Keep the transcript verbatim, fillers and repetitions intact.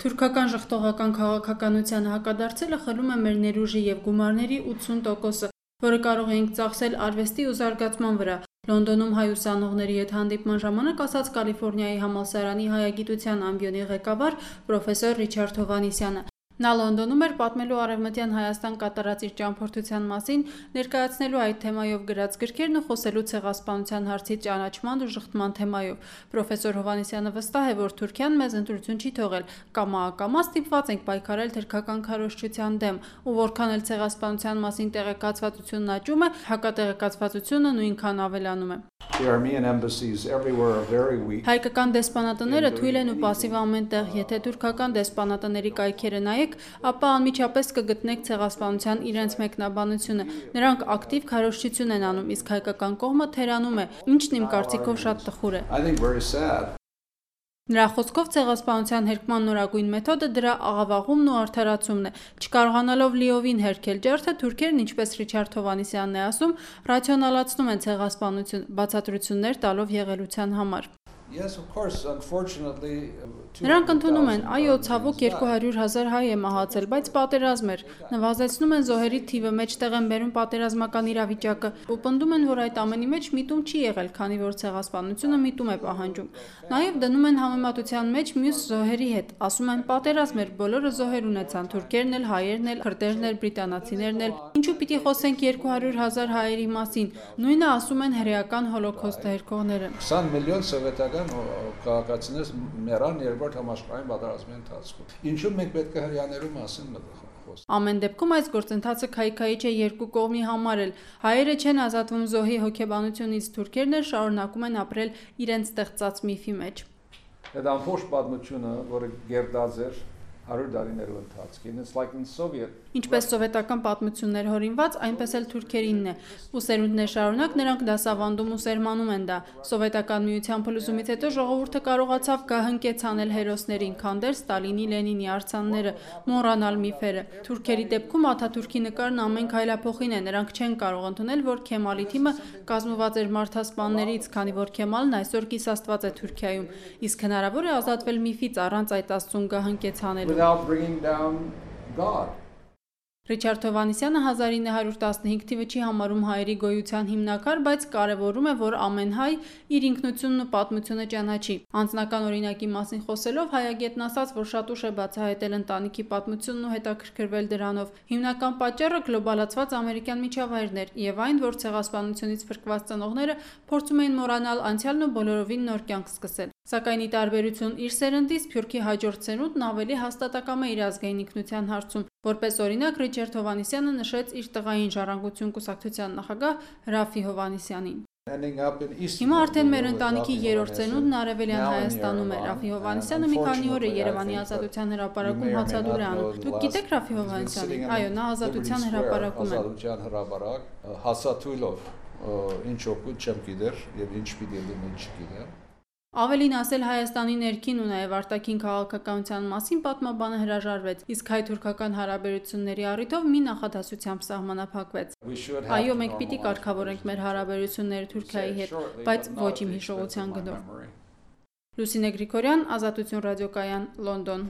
Թուրքական ժխտողական քաղաքականությանը հակադարձելը խլում է մեր ներուժի և գումարների ութսուն տոկոսը, որը կարող էինք ծախսել արվեստի ու զարգացման վրա, Լոնդոնում հայ ուսանողների հետ հանդիպման ժամանակ ասաց Կալիֆոռնիայի համալսարանի հայագիտության ամբիոնի ղեկավար պրոֆեսոր Ռիչարդ Հովհաննիսյանը։ Նա Լոնդոնում էր պատմելու Արևմտյան Հայաստան կատարած իր ճամփորդության մասին, ներկայացնելու այդ թեմայով գրած գրքերն ու խոսելու ցեղասպանության հարցի ճանաչման ու ժխտման թեմայով։ Պրոֆեսոր Հովհաննիսյանը վստահ է, որ Թուրքիան մեզ ընտրություն չի թողել, կամա-ակամա ստիպված ենք պայքարել թուրքական քարոզչության դեմ, ու որքան էլ ցեղասպանության մասին տեղեկացվածությունն աճում է, հակատեղեկացվածությունը նույնքան ավելանում է։ Հայկական դեսպանատները թույլ են ու պասիվ ամենտեղ, եթե թուրքական դեսպանատների կայքերը նայեք, ապա անմիջապես կգտնեք ցեղասպանության իրենց մեկնաբանությունը։ Նրանք ակտիվ քարոզչություն են անում, իսկ հայկական կողմը թերանում է, ինչն իմ կարծիքով շատ տխուր է։ Նրա խոսքով ցեղասպանության հերկման նորագույն մեթոդը դրա աղավաղումն ու արդարացումն է։ Չկարողանալով լիովին հերքել ջարդը, թուրքերն, ինչպես Ռիչարդ Հովհաննիսյանն է ասում, ռացիոնալացնում են ցեղասպանություն, բացատրություններ տալով եղելության համար։ Նրանք ընդունում են, այո, ցավոք երկու հարյուր հազար հայ է մահացել, բայց պատերազմ էր, նվազեցնում են զոհերի թիվը, մեջտեղ են բերում պատերազմական իրավիճակը ու պնդում են, որ այդ ամենի մեջ միտում չի եղել, քանի որ ցեղասպանությունը միտում է պահանջում։ Նաև դնում են համեմատության մեջ մյուս զոհերի հետ, ասում են պատերազմ էր, բոլորը զոհեր ունեցան, թուրքերն էլ, հայերն էլ, քրդերն էլ, բրիտանացիներն էլ, ինչու պիտի խոսենք երկու հարյուր հազար հայերի մասին, նույնը ասում են հրեական հոլոքոստը հերքողները։ քսան միլիոն սովետական քաղաքացիներ մեռան երկրորդ համաշխարհային պատերազմի ընթացքում։ Ինչու մենք պետք է հрьяաներու մասին մտածենք։ Ամեն դեպքում այս գործընթացը քայքայիչ է երկու կողմի համար էլ։ Հայերը չեն ազատվում զոհի հոգեբանությունից, թուրքերն էլ շարունակում են ապրել իրենց ստեղծած միֆի մեջ։ Այդ ամբողջ պատմությունը, որը գերդած էր հարյուր տարիներու ընթացքին, ինչպես սովետական պատմություններ հորինված, այնպես էլ թուրքերինն է, ու սերունդներ շարունակ նրանք դասավանդում ու սերմանում են դա։ Սովետական միության փլուզումից հետո ժողովուրդը կարողացավ գահընկեց անել հերոսներին, քանդել Ստալինի, Լենինի արձանները, մոռանալ միֆերը։ Թուրքերի դեպքում Աթաթուրքի նկարն ամեն քայլափոխին է, նրանք չեն կարող ընդունել, որ Քեմալի թիմը կազմված էր մարդասպաններից, քանի որ Քեմալն այսօր կիսաստված է Թուրքիայում, իսկ հնարավոր է ազատվել միֆից առանց այդ աստծուն գահընկեց անելու։ Ռիչարդ Հովհաննիսյանը հազար ինը հարյուր տասնհինգ թիվը չի համարում հայերի գոյության հիմնակար, բայց կարևորում է, որ ամեն հայ իր ինքնությունն ու պատմությունը ճանաչի։ Անձնական օրինակի մասին խոսելով հայագետն ասաց, որ շատ ուշ է բացահայտել ընտանիքի պատմությունն ու հետաքրքրվել դրանով։ Հիմնական պատճառը գլոբալացված ամերիկյան միջավայրն էր եւ այն, որ ցեղասպանությունից փրկված ծնողները փորձում էին մոռանալ անցյալն ու բոլորովին նոր կյանք սկսել։ Սակայն ի տարբերություն իր սերնդից, Սփյուռքի հաջորդ սերունդն ավելի հաստատակամ է իր ազգային ինքնության հարցում։ Որպես օրինակ, Ռիչարդ Հովհաննիսյանը նշեց իր տղային ժառանգություն կուսակցության նախագահ Ռաֆի Հովհաննիսյանին։ Հիմա արդեն մեր ընտանիքի երրորդ սերունդն Արևելյան Հայաստանում է։ Ռաֆի Հովհաննիսյանը մի քանի օր է Երևանի Ազատության հրապարակում հացադուլ է անում։ Դուք գիտեք Ռաֆի Հովհաննիսյանին։ Այո, նա Ազատության հրապարակում է։ Ազատության հրապարակ հացաթույլով ինչ օգուտ չեմ գիտեր եւ ինչ պիտի լինի չգիտեմ։ Ավելին ասել Հայաստանի ներքին ու նաև արտաքին քաղաքականության մասին պատմաբանը հրաժարվեց, իսկ հայ-թուրքական հարաբերությունների առիթով մի նախադասությամբ սահմանափակվեց։ Այո, մենք պիտի կարգավորենք մեր հարաբերությունները Թուրքիայի հետ, բայց ոչ իմ հիշողության գնով։ Լուսինե Գրիգորյան, Ազատություն ռադիոկայան, Լոնդոն։